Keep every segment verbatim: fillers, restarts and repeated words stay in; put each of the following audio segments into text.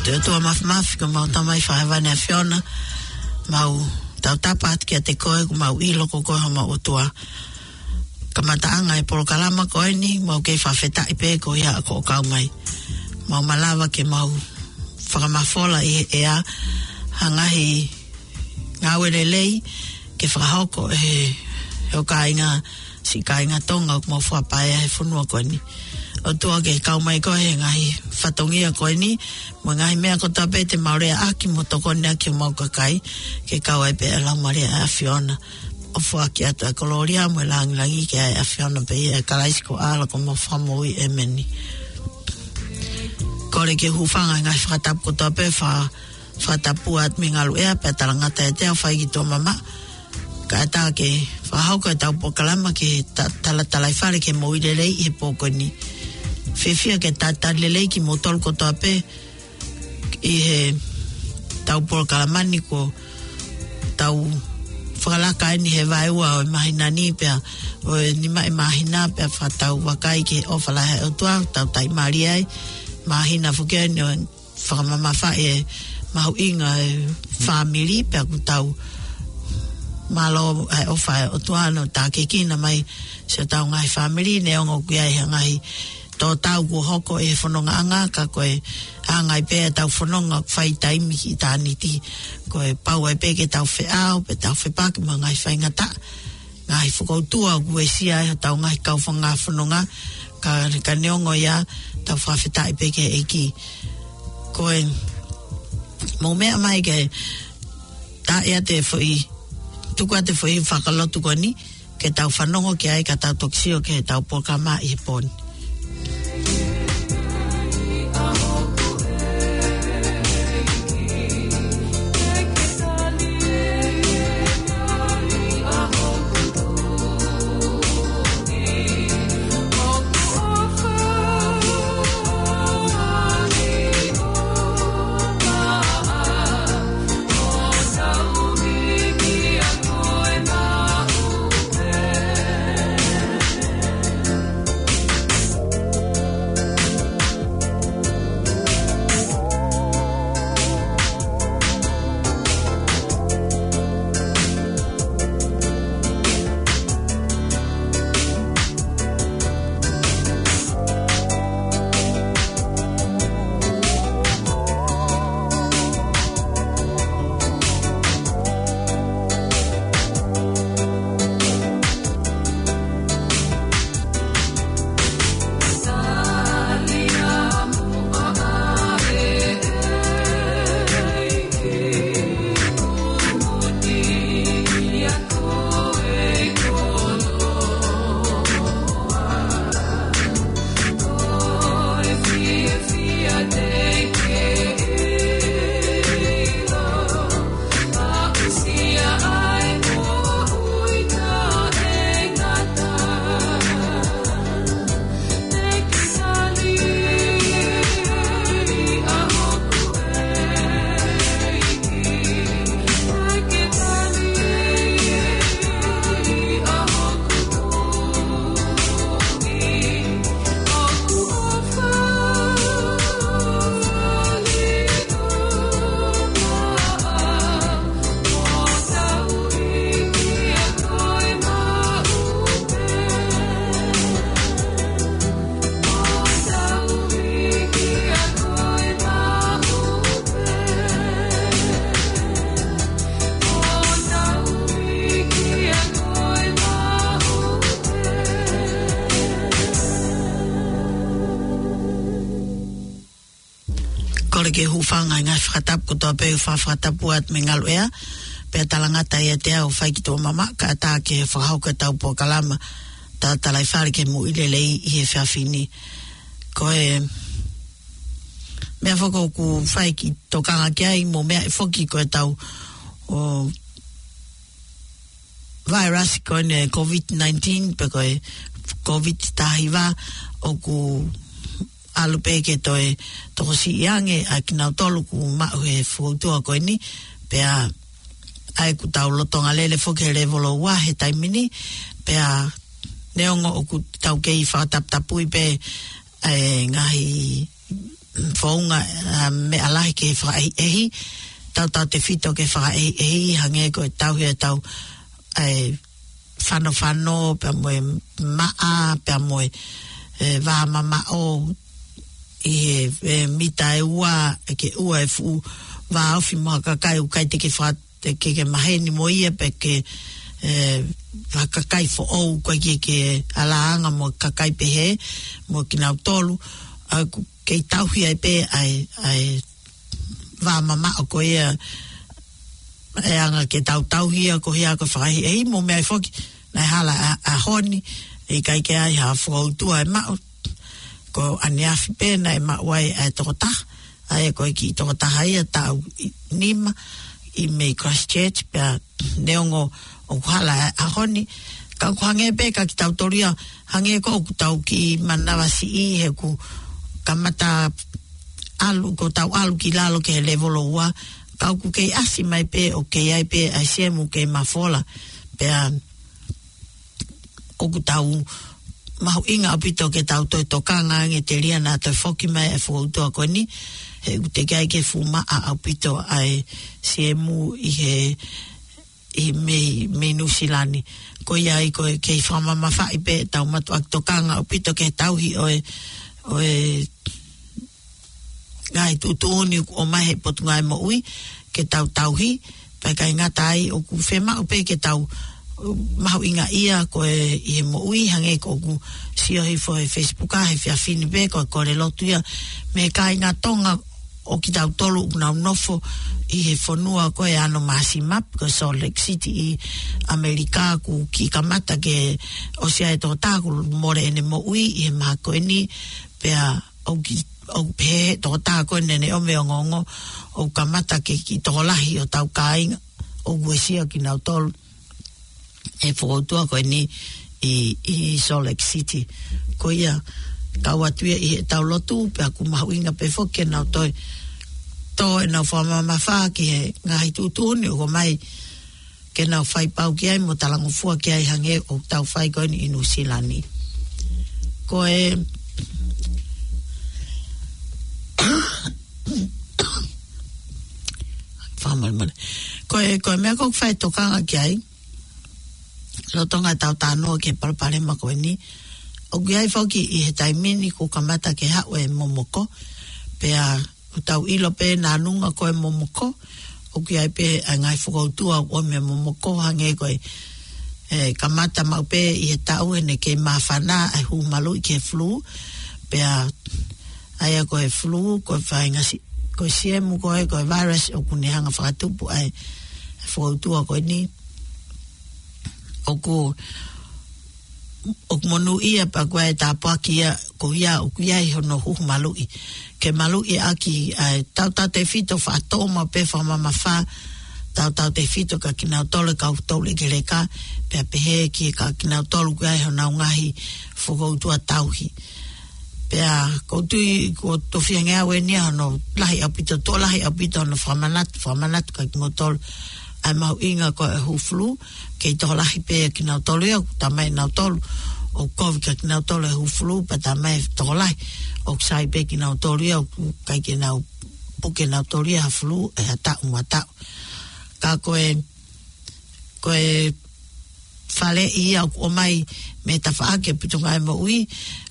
Te ʻOtua Mafimafi, ko homau Tamai Fakahēvani ʻa e ʻAfiona, mau tautapa atu kiate koe, ko homau ʻilo ko koe homau ʻOtua. Kamataʻanga e polokalama ko eni, mau kei fakafetaʻi pē ko ia ʻoku kau mai. Mau malava ke mau fakamafola ʻi he ʻea ha ngaahi ngāue lelei ke fakahoko ʻe he, he ʻo kāinga, siʻi kāinga Tonga ʻoku mau fakapaea he fonua ko eni. ʻOtua, ke kau mai koe he ngaahi fatongia ko eni, mo e ngaahi meʻa kotoa pē te mau leaʻaki mo tokoniʻaki homau kakai, ke kau ai pē ʻa e Laumālie ʻa e ʻAfiona. ʻO foaki atu ʻa e kolōlia mo e lāngilangi ki he ʻAfiona pē ʻia Kalaisi ko e ʻAlo ko homau Fakamoʻui, ʻēmeni. Kole ke u hūfanga he ngaahi fakatapu kotoa pē, fa-, fakatapu atu mei Ngaluʻea, pea talangata ʻiate au Faikituʻa Mamaʻa, kae ʻatā ke fakahoko ʻetau polokalama ki he ta-, tala-, Talaifale ki he Moʻui Lelei ʻi he pō ko eni. Fiefia ke talitali lelei kimoutolu kotoa pē ʻi heʻetau polokalama ni, ko ʻetau fakalaka eni he vaeua ʻo e māhina ni, pea ʻo e nima ʻi māhina, pea fakatau vakai ki he ʻofa lahi ʻa e ʻOtua, tau taʻimālie ai. Māhina foki eni ʻo e fakamamafaʻi e mahuʻinga e fāmili, pea ʻoku tau mālō ʻa e ʻofa ʻa e ʻOtua ʻoku tākiekina mai siʻotau ngaahi fāmili, neongo ʻoku ʻi ai ha ngaahi tō tau kuo hoko ʻi he fonongaʻanga, ka ko e anga ai pē ʻetau fononga ʻoku fai taimi ki ʻitāniti. Ko e pau ai pē ke tau feʻao, pea tau fepaki mo e ngaahi faingataʻa, ngaahi fokoutua ʻoku uesia ai hotau ngaahi kaufanga fononga, ka, ka neongo ia, tau fakafetaʻi pē ki he ʻEiki. Ko e mou meʻa mai ke tā ia te foʻi, tuku atu e foʻi fakalotu ko eni, ke tau fanongo ki ai ka tau toki sio ki heʻetau polokalama ʻi he pō ni. Kole ke u hūfanga he ngaahi fakatapu kotoa pē ʻoku fakatapu atu mei Ngaluʻea, pea talangata ʻiate au Faikituʻa Mamaʻa, kae ʻatā ke fakahoko ʻetau polokalama tā Talaifale ki he Moʻui Lelei ʻi he efiafi ni. Ko e meʻa foki ʻoku fai ke tokanga ki ai, mou meaʻi foki ko ʻetau, ʻo, vairasi ko eni e COVID nineteen, pe ko e COVID taha hiva, ʻoku ʻalu pē ke toe tokosiʻi ange ʻa kinautolu ʻoku maʻu he fokoutua ko eni, pea ʻa ia ʻoku tau lolotonga lele foki he lēvolo ua he taimi ni, pea neongo ʻoku tau kei fakataputapui pē ʻa e ngaahi founga, ā, meʻa lahi ke fakaʻehiʻehi, tautautefito ke fakaʻehiʻehi, hangē ko e tauhi ʻetau, ʻa e fanofano, pea mo e maʻa, pea mo e, e, vā mamaʻo, ʻi he, e, mita ʻe ua, ʻe ke ua e fuʻu vāofi mo ha kakai ʻoku ʻikai te ke faka-, te ke, ke maheni mo ia pe ke, e, ha kakai foʻou, ko e ke, ke ʻalāanga mo kakai pehē, mo kinautolu, ʻa ʻoku kei tauhi ai pē ʻa e, ʻa e vā mamaʻo ko ia, ʻe anga ke tau tauhi ia ko ia ko e fakaʻehiʻehi mo e meʻa foki, naʻe hala ʻa, ʻaho ni, ʻe ʻikai ke ʻi ai ha fokoutua ʻe maʻu, ko ʻaneafi pē naʻe maʻu ai ʻa e tokotaha, ʻa ia ko e kiʻi tokotaha ia taʻu ʻi, nima, ʻi mei Christchurch, pea neongo ʻoku hala ʻa, ʻaho ni, ka ʻoku hangē pē ka kitautolu ia, hangē ko ʻoku tau kiʻi manavasiʻi he ʻoku kamata ʻalu, ko ʻetau ʻalu ki lalo ki he levolo ua, ka ʻoku kei ʻasi mai pē, ʻoku kei ʻi ai pē ʻa e siemu kei mafola, pea ʻoku tau mahuʻinga ʻaupito ke tau toe tokanga ange telia naʻa toe foki mai e fokoutua ko eni, he ʻoku teʻeki ai ke fuʻu maʻa ʻaupito ʻa e siemu ʻi he, ʻi mei, mei Nuʻusila ni. Ko ia ai ko e kei fakamamafaʻi pē ʻetau mātuʻaki tokanga ʻaupito ke tauhi ʻo e, ʻo e ngaahi tuʻutuʻuni ʻoku ʻomai he Potungāue Moʻui ke tau tauhi, pea ʻikai ngata ai ʻoku fiemaʻu pē ke tau, uh, mahuʻingaʻia ko e ʻi he moʻui hangē ko ʻeku sio hifo he Facebook ʻa he efiafi ni pē ko e kole lotu ia mei he kāinga Tonga ʻo kitautolu ʻoku nau nofo ʻi he fonua ko e ʻAno Māsima, ko Salt Lake City ʻi ʻAmelika, ʻoku kiʻi kamata ke ʻosi ʻa e tokotaha kuo mole ʻene moʻui ʻi he mahaki ko eni, pea ʻoku ki-, ʻoku pehē he tokotaha ko eni ʻene ʻomi ongoongo, ʻoku kamata ke kiʻi tokolahi hotau kāinga, ʻoku uesia kinautolu he fokoutua ko eni ʻi, ʻi Salt Lake City. Ko ia, kau atu ia ʻi heʻetau lotu, pea ʻoku mahuʻinga pē foki ke nau toe tō ʻenau fakamamafa ki he ngaahi tuʻutuʻuni ʻoku ʻomai ke nau fai pau ki ai mo talangofua ki ai hangē ʻoku tau fai ko eni ʻi Nuʻusila ni. Ko e Fakamolemole. Ko e, ko e meʻa ʻoku ou fai tokanga ki ai, lolotonga ʻetau talanoa ki he palopalema ko eni, ʻoku ʻi ai foki ʻi he taimi ni kuo kamata ke haʻu e momoko, pea ʻoku tau ʻilo pē nānunga ko e momoko, ʻoku ʻi ai pē ʻa e ngaahi fokoutua ʻoku ʻomi ʻe he momoko hangē ko e, e, kamata maʻu pē ʻi he taʻu ʻene kei māfana ʻa e huhu maluʻi ki he flu, pea ʻa ia ko e flu, ko e faʻahinga si-, ko e siemu ko e, ko e virus ʻoku ne hanga fakatupu ʻa e fokoutua ko eni. ʻOku, ʻoku monūʻia pea ko e tāpuaki ia, ko ia, ʻoku ʻi ai hono huhu maluʻi. Ke maluʻi ʻaki ʻa e tautautefito faʻa tō maʻu pē fakamamafa, tautautefito kia kinautolu e kau toulekeleka, pea pehē ki he kia kinautolu ʻoku ʻi ai honau ngaahi fokoutua tauhi. Pea ʻoku ou tui kuo tofiange au eni ia hono lahi ʻaupito, tuʻo lahi ʻaupito hono fakamanatu, fakamanatu kia kimoutolu ʻa e mahuʻinga ko e huhu flu, kei tokolahi pē kinautolu ia, ʻoku talamai ʻe nautolu, ʻoku kovi kia kinautolu e huhu flu, pea talamai ʻe tokolahi, ʻoku sai pē kinautolu ia, ʻoku ʻikai ke nau puke nautolu ia ha flu, ʻe ha taʻu mo ha taʻu. Ka ko e, ko e faleʻi ia ʻoku ʻomai mei he tafaʻaki ʻa e Potungāue Moʻui,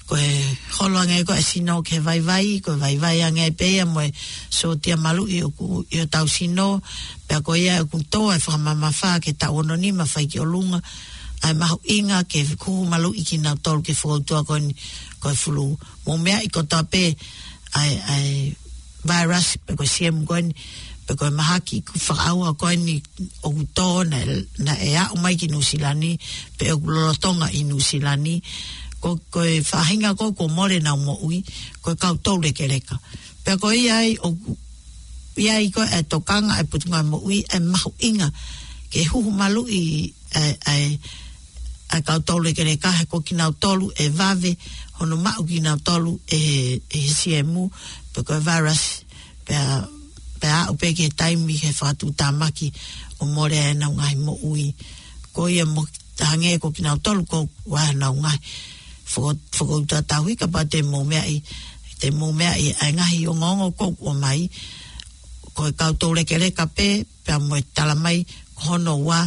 ko e holo ange ko e sino ki he vaivai, ko e vaivai ange pē ia mo e sōtia maluʻi ʻoku ʻi hotau sino, pea ko ia ʻoku tō e fakamamafa ki he taʻu ono nima fai ki ʻolunga, ʻa e mahuʻinga ke huhu maluʻi kinautolu ki he fokoutua ko eni ko e flu. Mou meaʻi kotoa pē ʻa e, ʻa e virus, pe ko e siemu ko eni, pe ko e mahaki fakaʻauha ko eni ʻoku tō naʻe, naʻe aʻu mai ki Nuʻusila ni, pe ʻoku lolotonga ʻi Nuʻusila ni, ko, ko e faʻahinga ko ē kuo mole ʻenau moʻui, ko e kau toulekeleka. Pea ko ia ai ʻoku ʻi ai ko e tokanga ʻa e Potungāue Moʻui ʻa e mahuʻinga ke huhu maluʻi ʻa e, ʻa e, ʻa e kau toulekeleka he ko kinautolu ʻe vave hono maʻu kinautolu ʻe he, ʻe he siemu, pe ko e virus, pea, pea aʻu pē ki he taimi he fakatuʻutāmaki ʻo mole ai ʻenau ngaahi moʻui. Ko ia mo hangē ko kinautolu ko ʻoku ʻi ai honau ngaahi foko-, fokoutua tauhi, kapau te mou meaʻi te mou meaʻi ʻa e ngaahi ongoongo ʻoku ʻomai, ko e kau toulekeleka pē, pea mo e tala mai, ko hono ua,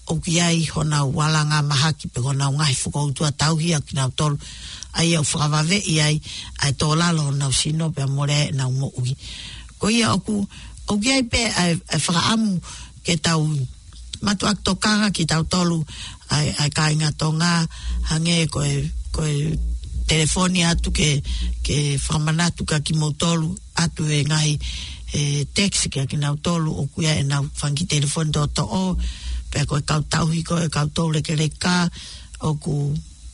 ʻoku ʻi ai honau alanga mahaki pe ko honau ngaahi fokoutua tauhi ʻa kinautolu, ʻa ia ʻoku fakavaveʻi ai ʻa e tō lalo honau sino pea mole ai ʻenau moʻui. Ko ia ʻoku, ʻoku ʻi ai pē ʻa e, ʻa e fakaʻamu ke tau mātuʻaki tokanga kitautolu ʻa e, ʻa e kāinga Tonga, hangē ko e, ko e telefoni atu ke, ke fakamanatu kia kimoutolu atu e ngaahi, e, text kia kinautolu ʻoku ʻi ai ʻenau fanga kiʻi telefoni toʻotoʻo, pea ko e kau tauhi ko e kau toulekeleka ʻoku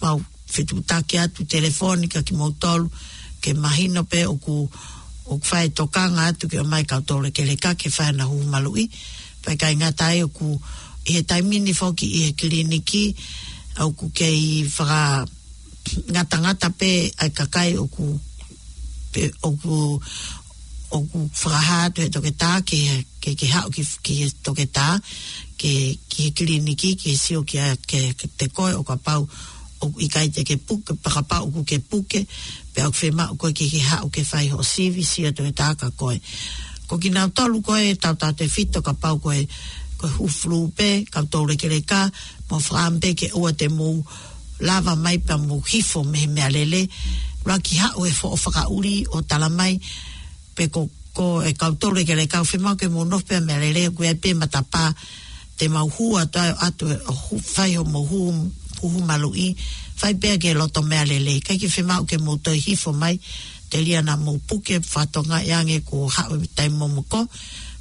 mau fetuʻutaki atu telefoni kia kimoutolu, ke mahino pē ʻoku, ʻoku fai tokanga atu ke ʻomai kau toulekeleka ke fai ʻenau huhu maluʻi. Pea ʻikai ngata ai ʻoku ʻi he taimi ni foki ʻi he kiliniki, ʻoku kei fakangatangata pē ʻa e kakai ʻoku, pe, ʻoku, ʻoku fakahā atu he toketā ke, ke, ke haʻu ki, ki he toketā, ke, ki he kiliniki, ke sio kia, ke, ke te koe ʻo kapau ʻoku ʻikai te ke puke, pe kapau ʻoku ke puke, pea ʻoku fiemaʻu koe ke ke haʻu ke fai hoʻo sivi, sio toketā kia koe. Ko kinautolu ko e tautautefito kapau ko e, ko e hū fulū pē, kau toulekeleka, mou fakaʻamu pē ke ʻoua te mou lava mai pea mou hifo mei he meʻalele, ʻuluaki haʻu e foʻi fakaʻuli ʻo tala mai, pe ko, ko e kau toulekeleka ʻoku fiemaʻu ke mou nofo pē meʻalele, ʻoku ʻi ai pē matapā, te mau hū atu, atu ʻo hū, fai hoʻomou hū, huhu maluʻi, fai pē ki he loto meʻalele, ʻikai ke fiemaʻu ke mou toe hifo mai, telia naʻa mou puke, fakatokangaʻi ange kuo haʻu e taimi momoko,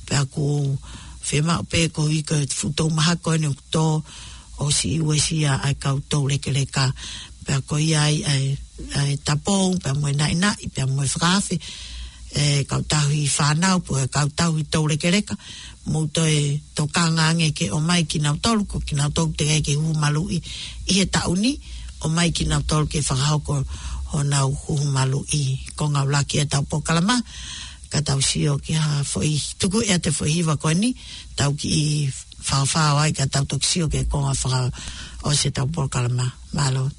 pea ʻoku fiemaʻu pē koeʻuhi ko e fuʻu tō mahaki ko eni ʻoku tō, ʻosi uesia ʻa e kau toulekeleka. Pea ko ia ai ʻa e, ʻa e tapou, pea mo e naʻinaʻi, pea mo e fakaafe, e kau tauhi fānau, pe ko e kau tauhi toulekeleka, mou toe tokanga ange ke ʻomai kinautolu, ko kinautolu teʻeki ke huhu maluʻi ʻi he taʻu ni, ʻomai kinautolu ke fakahoko honau huhu maluʻi. Konga ʻuluaki ʻetau polokalama, ka tau sio ki ha foʻi, tuku ʻe ʻa e foʻi hiva ko eni, tau kiʻi faofao ai ka tau toki sio ki he konga fakaʻosi ʻetau polokalama. Mālō.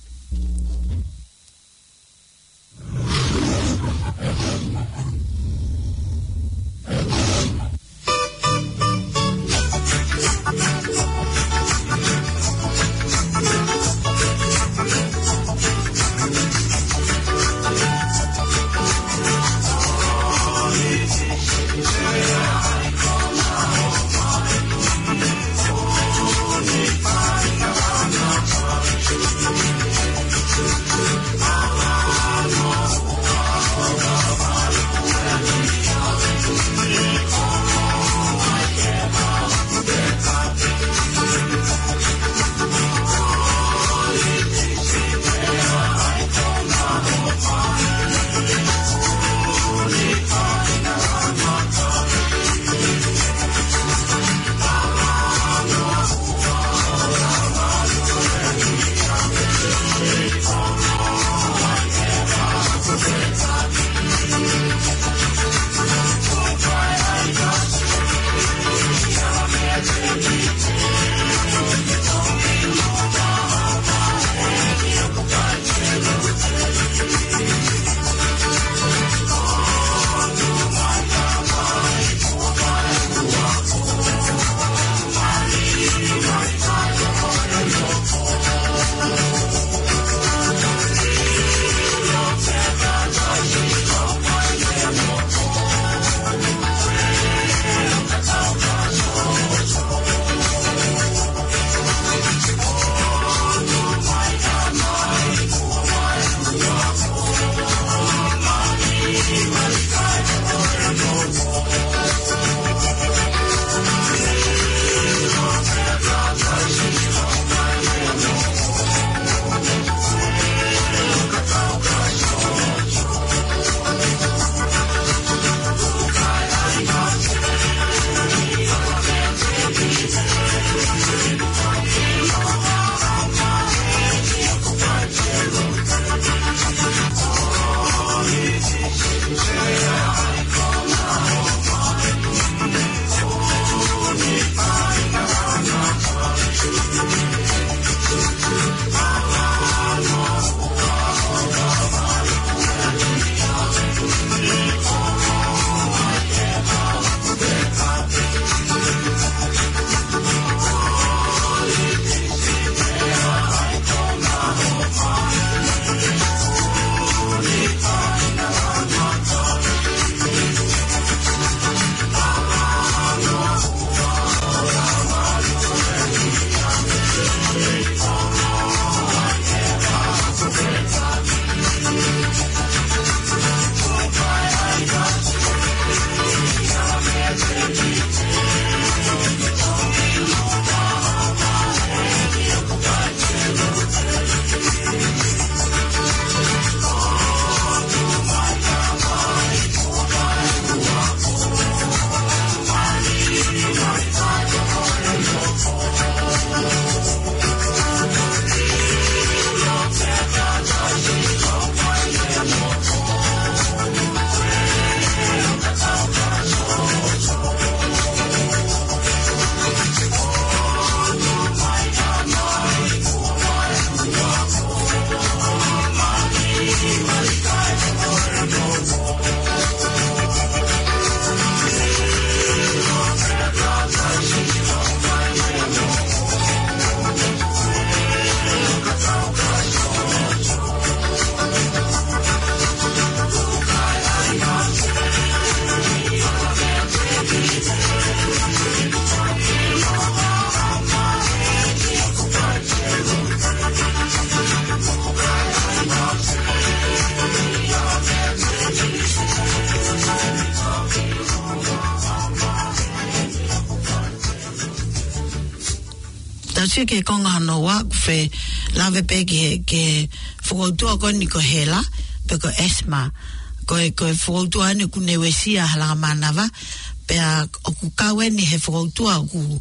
Sio ki he konga hono ua, ʻoku fie lave pē ki he, ki he fokoutua ko eni ko e hela, pe ko e asthma. Ko e, ko e fokoutua eni ʻoku ne uesia e halanga mānava, pea ʻoku kau eni he fokoutua ʻoku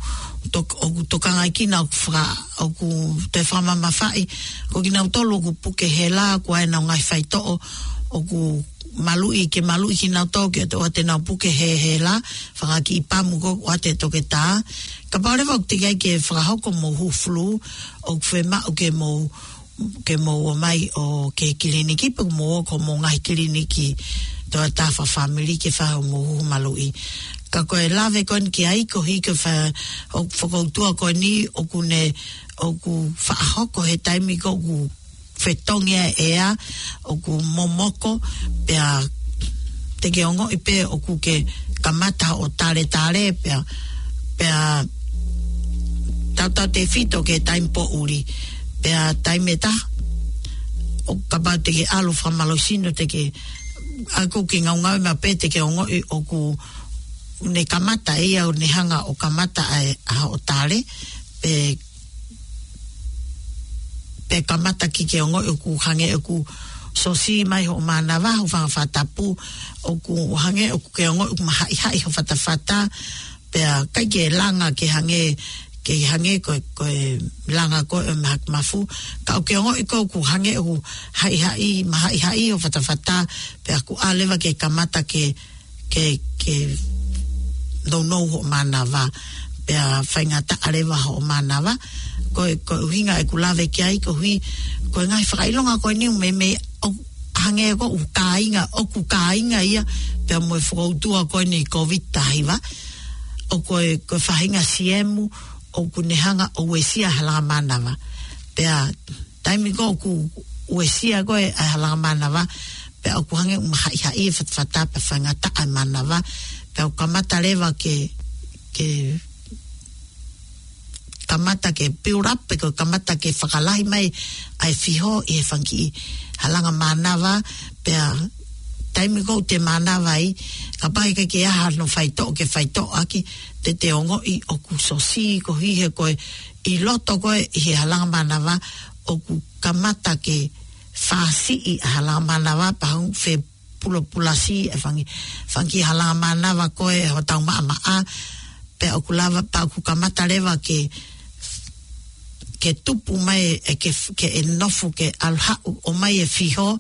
tok-, ʻoku tokangaʻi kinautolu ʻoku faka-, ʻoku toe fakamamafaʻi, ko kinautolu ʻoku puke hela, ʻoku ʻi ai ʻenau ngaahi faitoʻo, ʻoku maluʻi, ke maluʻi kinautolu ke ʻoua te nau puke he hela, fanga kiʻi pamu ko ē ʻoku ʻoatu ʻe he toketā. Kapau leva ʻoku teʻeki ai ke fakahoko hoʻomou huhu flu, ʻoku fiemaʻu ke mou, ke mou ō mai ʻo ki he kiliniki, pe mou ō ki homou ngaahi kiliniki toketā fakafāmili ke fai hoʻomou huhu maluʻi. Ka ko e lave ko eni ki ai, ko e hiki fai ʻo e fokoutua ko eni ʻoku ne, ʻoku fakahoko he taimi ko ē ʻoku fetongi ʻa e ʻea, ʻoku momoko, pea te ke ongoʻi pē ʻoku ke kamata ʻo taletale, pea, pea tautautefito ki he taimi poʻuli, pea taimi ʻe taha, ʻo kapau te ke ʻalu fakamālohisino te ke, ʻa ʻoku ke ngaungaue mai pē te ke ongoʻi ʻoku ne kamata ia ʻo ne hanga ʻo kamata ʻa e, ʻa hoʻo tale, pe pe kamata ke ke ongoʻi ʻoku hangē ʻoku sosī mai hoʻo mānava, hoʻo fanga fakatapu, ʻoku hangē ʻoku ke ongoʻi ʻoku mahaʻihaʻi ho fatafata, pea ʻikai ke langa ke hangē, ke hangē ko e, ko e langa ko ē ʻo e mahaki mafu, ka ʻoku ke ongoʻi ko ē ʻoku hangē ʻoku haʻihaʻi, mahaʻihaʻi ho fatafata, pea ʻoku ʻalu leva ke kamata ke ke, ke nounou hoʻo mānava, pea faingataʻa leva hoʻo mānava. Ko e, ko e ʻuhinga ʻeku lave ki ai, koeʻuhi, ko e ngaahi fakaʻilonga ko eni ʻoku meimei ʻo hangē ko ē ʻoku kāinga, ʻoku kāinga ia, pea mo e fokoutua ko eni COVID taha hiva, ʻoku ko e, ko e faʻahinga siemu, ʻoku ne hanga ʻo uesia e halanga mānava. Pea taimi ko ē ʻoku uesia ko ē ʻa e halanga mānava, pea ʻoku hangē ʻoku mahaʻihaʻi e fatafata pea faingataʻa e mānava, pea ʻoku kamata leva ke, ke kamata ke build up, pe ko e kamata ke fakalahi mai ʻa e fiho ʻi he fanga kiʻi halanga mānava, pea taimi ko ē ʻoku te mānava ai, kapau ʻikai ke ʻi ai hano faitoʻo ke faitoʻo ʻaki, te te ongoʻi ʻoku sosī koeʻuhi he ko e ʻi loto ko ē ʻi he halanga mānava ʻoku kamata ke fāsiʻi ʻa e halanga mānava pea hangē ʻoku fepulopulasi e fanga, fanga kiʻi halanga mānava ko ē hotau maʻamaʻa, pea ʻoku lava pea ʻoku kamata leva ke, ke tupu mai e ke, ke ʻe nofo ke ʻalu haʻu ʻo ʻomai e fiho,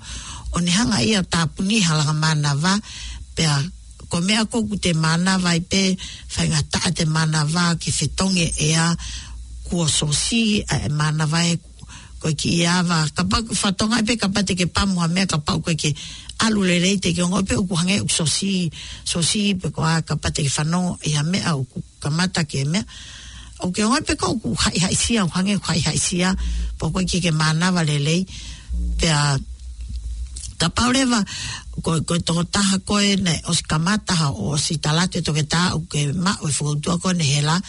ʻo ne hanga ia ʻo tāpuni e halanga mānava, pea ko e meʻa ko ē ʻoku te mānava ai pē, faingataʻa ʻete mānava ke fetongi e ʻea kuo sosī ʻa e mānava ē, ko e kiʻi ava, kapau ʻoku fatongia pē, kapau te ke pamu ha meʻa, kapau ʻoku ʻikai ke ʻalu lelei te ke ongoʻi pē ʻoku hangē ʻoku sosī, sosī pē koā, kapau te ke fanongo ʻi ha meʻa ʻoku kamata ke meʻa. ʻOku ke ongoʻi pē ko ē ʻoku haʻihaʻisia, ʻoku hangē ʻoku haʻihaʻisia, pe ʻoku ʻikai ke mānava lelei, pea kapau leva, ko, ko e tokotaha ko ē naʻe ʻosi kamata ha, ʻosi tala atu ʻe he toketā ʻoku ke maʻu e fokoutua ko eni hela,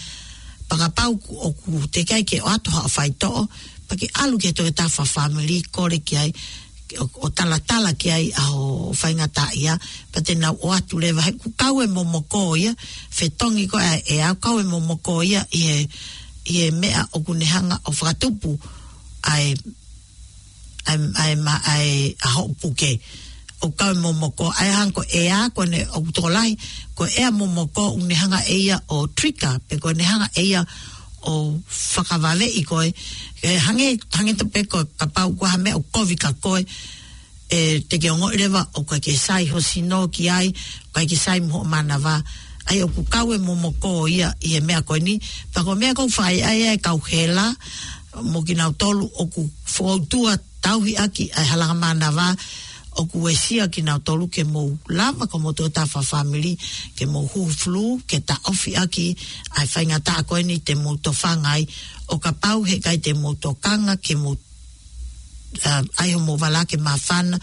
pea kapau ʻoku, ʻoku teʻeki ai ke ʻoatu haʻo faitoʻo, pea ke ʻalu ki he toketā fakafāmili kole ki ai, ʻo, ʻo talatala ki ai ʻa hoʻo faingataʻaʻia, pea te nau ʻoatu leva he ʻoku kau e momoko ia, fetongi ko ē ʻa e ʻea, ʻoku kau e momoko ia ʻi he, ʻi he meʻa ʻoku ne hanga ʻo fakatupu ʻa e ʻa e, ʻa e ma-, ʻa e, ʻa hoʻo puke. ʻOku kau e momoko, ʻa e hangē ko e ʻea, ko ʻene ʻoku tokolahi, ko e ʻea momoko ʻoku ne hanga ʻe ia ʻo trigger, pe ʻoku ne hanga ʻe ia ʻo fakavaveʻi koe. ʻE hangē, hangē tofu pē ko e kapau ko ha meʻa ʻoku kovi kia koe, ʻe te ke ongoʻi leva ʻoku ʻikai ke sai ho sino ki ai, ʻoku ʻikai ke sai mo hoʻo mānava. ʻA ia ʻoku kau e momoko ia ʻi he meʻa ko eni, pea ko e meʻa ʻoku fai ai ʻa e kau hela, mo kinautolu ʻoku fokoutua tauhi ʻaki ʻa e halanga mānava, ʻoku uesia kinautolu ke mou lava ko hoʻomou toketā fakafāmili, ke mou huhu flu, ke taʻofi ʻaki ʻa e faingataʻa ko eni te mou tofanga ai, ʻo kapau heʻikai te mou tokanga, ke mou, ʻa, ʻai hoʻomou vala ke māfana,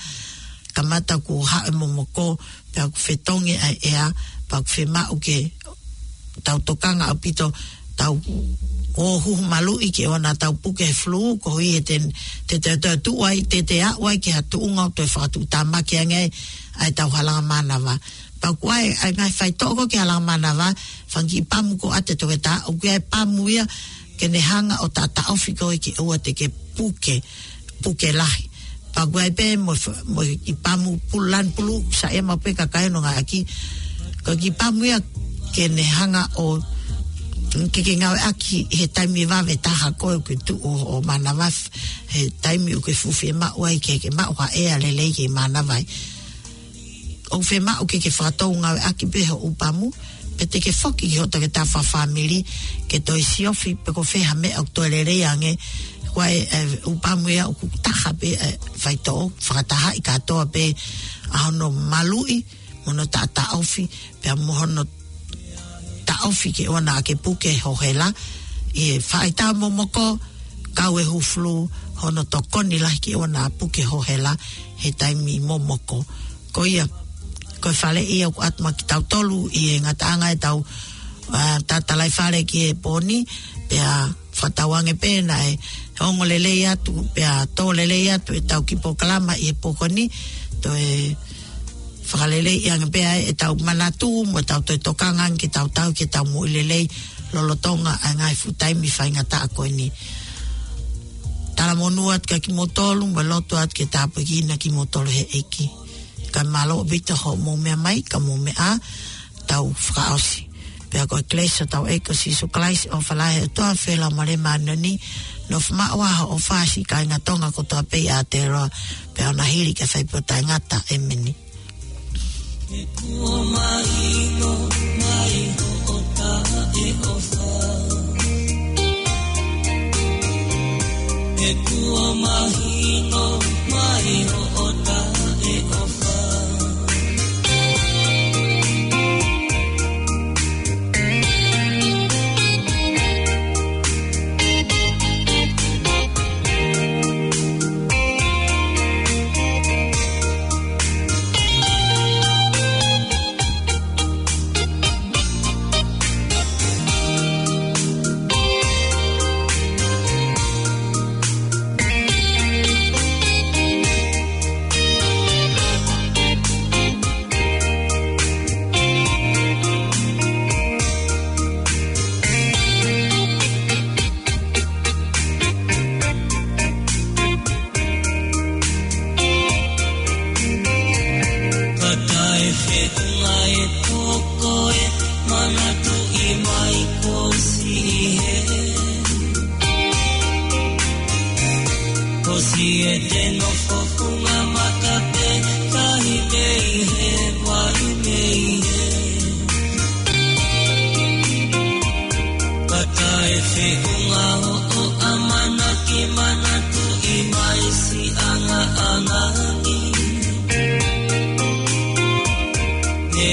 kamata kuo haʻu e momoko, pea ʻoku fetongi ʻa e ʻea, pea ʻoku fiemaʻu ke tau tokanga ʻaupito, tau ō huhu maluʻi ke ʻoua naʻa tau puke he flu, koeʻuhi he te, te, te, te tuʻu ai, te, te aʻu ai ki ha tuʻunga ʻoku toe fakatuʻutāmaki ange ai ʻa ʻetau halanga mānava. Pea ʻoku ʻi ai, ʻa e ngaahi faitoʻo ko ē ki he halanga mānava, fanga kiʻi pamu ʻoku ʻoatu ʻe he toketā, ʻoku ʻi ai e pamu ia, ke ne hanga ʻo taʻotaʻofi koe ke ʻoua te ke puke, puke lahi. Pea ko e pē mo, mo e kiʻi pamu pulu lanu pulu, saiʻia maʻu pē kakai ʻo ngāueʻaki, ko e kiʻi pamu ia ke ne hanga ʻo, ke ke ngāueʻaki he taimi vave taha ko ē ʻoku ke tuʻu ʻo, ʻo mānava, he taimi ʻoku ke fuʻu fiemaʻu ai ke, ke maʻu ha ʻea lelei ke mānava ai. ʻOku fiemaʻu ke ke fakatou ngāueʻaki pē hoʻo ʻū pamu, pea te ke foki ki hoʻo toketā fakafāmili, ke toe siofi pe ko e fē ha meʻa ʻoku toe lelei ange, ko e, e, ʻū pamu ia ʻoku taha pē, e, faitoʻo, fakatahaʻi kātoa pē ʻa hono maluʻi, mo hono taʻotaʻofi, pea mo hono taʻofi ke ʻoua naʻa ke puke ho hela, ʻi he faʻahitaʻu momoko, kau e hū flu, hono tokoni lahi ke ʻoua naʻa puke ho hela, he taimi momoko. Ko ia, ko e faleʻi ia ʻoku ʻatu maʻa kitautolu ʻi he ngataʻanga ʻetau, ʻa, tatalaifale ki he pō ni, pea fakatauange pē naʻe ongo lelei atu, pea tō lelei atu ʻetau kiʻi polokalama ʻi he pō ko eni, toe fakaleleiʻi ange pē ʻetau manatu mo ʻetau toe tokanga ange ke tau tauhi ʻetau moʻui lelei lolotonga ʻa e ngaahi fuʻu taimi faingataʻa ko eni. Talamonū atu kia kimoutolu, mo lotu atu ke tāpuekina kimoutolu he ʻEiki. Ka mālō ʻaupito hoʻomou meʻa mai, ka mou meʻa ā, tau fakaʻosi. Pea ko e kelesi ʻa hotau ʻEiki ko Sīsū Kalaisi, ʻofa lahi ʻa e ʻOtua, feohi ʻa e Laumālie Māʻoniʻoni, nofomaʻu ʻa e ʻofa ʻa e kāinga Tonga kotoa pē ʻi Aotearoa, pea ʻoua naʻa hili ki he ʻikai fai pē ʻo taʻengata. ʻĒmeni. Kuo mahino mai hoʻo taʻeʻofa. He kuo mahino mai hoʻo taʻeʻofa. Ka taʻefeʻunga e toko e manatuʻi mai ko siʻi hē. Ko siʻi hē te nofo funga mata pē, tahi mei hē, vai mei hē. Ka taʻefeʻunga hoʻo ʻamanaki manatuʻi mai siʻi ʻangaʻanga ni. He